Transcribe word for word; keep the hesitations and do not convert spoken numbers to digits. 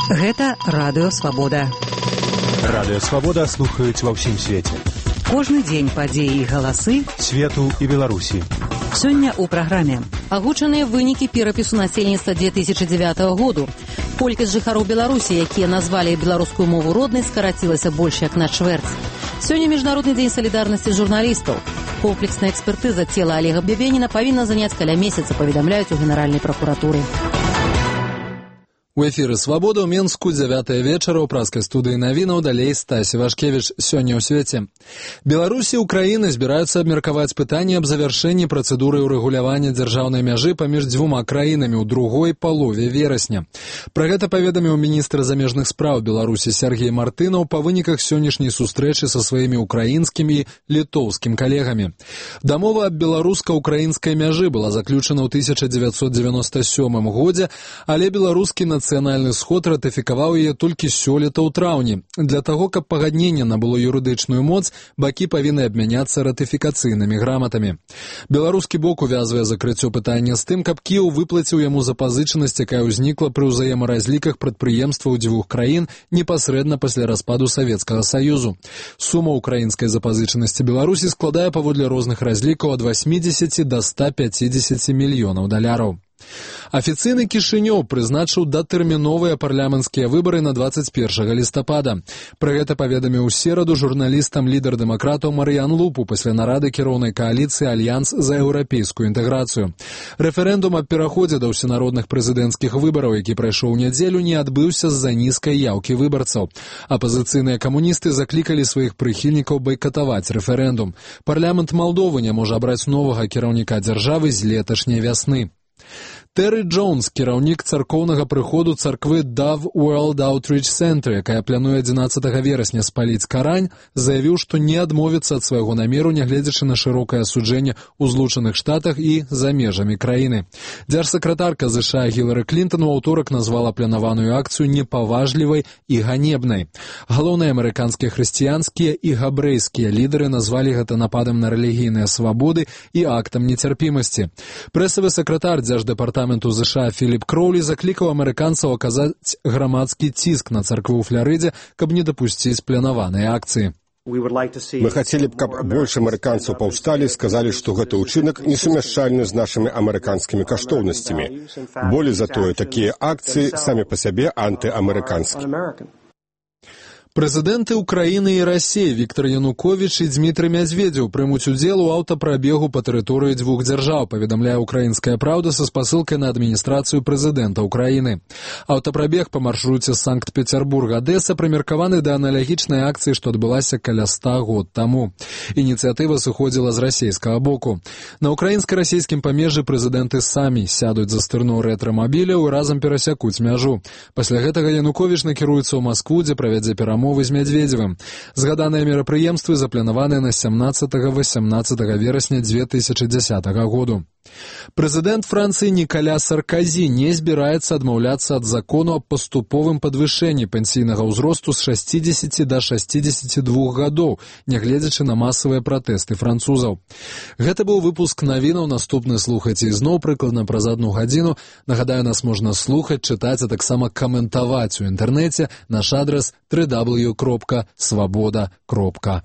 Гэта Радыё Свабода. Радыё Свабода слухаюць ва ўсім свеце. Кожны дзень падзеі і галасы свету і Беларусі. Сёння ў праграме агучаныя вынікі перапісу насельніцтва две тысячи девятого году. Колькасць жыхароў Беларусі, якія назвалі беларускую мову роднай, скарацілася больш як на чвэрць. Сёння міжнародны дзень салідарнасці журналістаў. Комплексная экспертыза цела Олега Бебеніна павінна заняць каля месяца, паведамляюць у Генеральнай пракуратуры. У эфіры «Свабода» ў Менску, дзявятая вечара, ў праскай студыі навінаў, далей Стасі Вашкевіч. Сёння ў свеце. Беларусі і Украіны збіраюцца абмеркаваць пытанне аб завяршэнні працэдуры ўрэгулявання дзяржаўнай мяжы паміж дзвюма краінамі ў другой палове верасня. Пра гэта паведаміў міністр замежных спраў Беларусі Сергей Мартынаў па выніках сённяшняй сустрэчы са сваімі украінскімі і літоўскім калегамі. Дамова аб беларуска-украінскай мяжы была заключана ў тысяча дзевяцьсот дзевяноста сёмым годзе, але беларускі нацыянальны Нацыянальны сход ратыфікаваў яе толькі сёлета ў траўні. Для таго, каб пагадненне набыло юрыдычную моц, бакі павінны абмяняцца ратыфікацыйнымі граматамі. Беларускі бок увязвае закрыццё пытання з тым, каб Кіеў выплаціў яму запазычанасць, якая ўзнікла пры ўзаемаразліках прадпрыемстваў дзвюх краін непасрэдна пасля распаду Савецкага Саюзу. Сума украінскай запазычанасці Беларусі складае паводле розных разлікаў ад восьмідзесяці да ста пяцідзесяці мільёнаў даляраў. Афіцыйны Кішынёў прызначыў датэрміновыя парламенцкія выбары на двадцать первого лістапада. Пра гэта паведаміў у сераду журналістам лідар дэмакратаў Марыян Лупу пасля нарады кіроўнай кааліцыі «Альянс за еўрапейскую інтэграцыю». Рэферэндум аб пераходзе да ўсенародных прэзідэнцкіх выбараў, які прайшоў у нядзелю, не адбыўся з-за нізкай яўкі выбарцаў. Апазіцыйныя камуністы заклікалі сваіх прыхільнікаў байкатаваць рэферэндум. Парламент Малдовы не можа абраць новага кіраўніка дзяржавы з леташняй вясны. Тэры Джонс, кіраўнік царкоўнага прыходу царквы Dove World Outreach Center, якая плануе адзінаццатага верасня спаліць Карань, заявіў, што не адмовіцца ад свайго намеру, нягледзячы на шырокае асуджэнне ў Злучаных Штатах і за межамі краіны. Дзяржсакратарка ЗША Гілары Клінтон у аўторак назвала планаваную акцыю непаважлівай і ганебнай. Галоўныя амерыканскія хрысціянскія і габрэйскія лідары назвалі гэта нападам на рэлігійныя свабоды і актам нецярпімасці. Прэсавы сакратар дзярждэпартаменту ЗША Філіп Кроулі заклікаў амерыканцаў аказаць грамадскі ціск на царкву ў Фларыдзе, каб не дапусціць планаваныя акцыі. Мы хацелі б, каб больш амерыканцаў паўсталі, сказалі, што гэты ўчынак несумяшчальны з нашымі амерыканскімі каштоўнасцямі. Болей за тое, такія акцыі самі па сябе антыамерыканскія. Прэзідэнты Украіны і Расіі Віктор Януковіч і Дзмітрый Мядзведзеў прымуць удзел у аўтапрабегу па тэрыторыі дзвюх дзяржаў, паведамляе «Украінская праўда» са спасылкай на адміністрацыю прэзідэнта Украіны. Аўтапрабег па маршруце Санкт-Пецярбург-Адэса прымеркаваны да аналагічнай акцыі, што адбылася каля ста год таму. Ініцыятыва сыходзіла з расійскага боку. На украінска-расійскім памежжы прэзідэнты самі сядуць за стырно рэтрамабіляў і разам перасякуць мяжу. Пасля гэтага Януковіч накіруецца ў Маскву, дзе правядзе перамовы з Мядзведзевым. Згаданыя мерапрыемствы запланаваны на сямнаццатага-васямнаццатага верасня две тысячи дзесятага году. Прэзідэнт Францыі Нікаля Сарказі не збіраецца адмаўляцца ад закону аб паступовым падвышэнні пенсійнага ўзросту з шасцідзесяці да шасцідзесяці двух гадоў, нягледзячы на масавыя пратэсты французаў. Гэта быў выпуск навінаў, наступны слухайце ізноў прыкладна праз адну гадзіну. Нагадаю, нас можна слухаць, чытаць, а таксама каментаваць у інтэрнэце. Наш адрас дабл ю дабл ю дабл ю кропка свабода кропка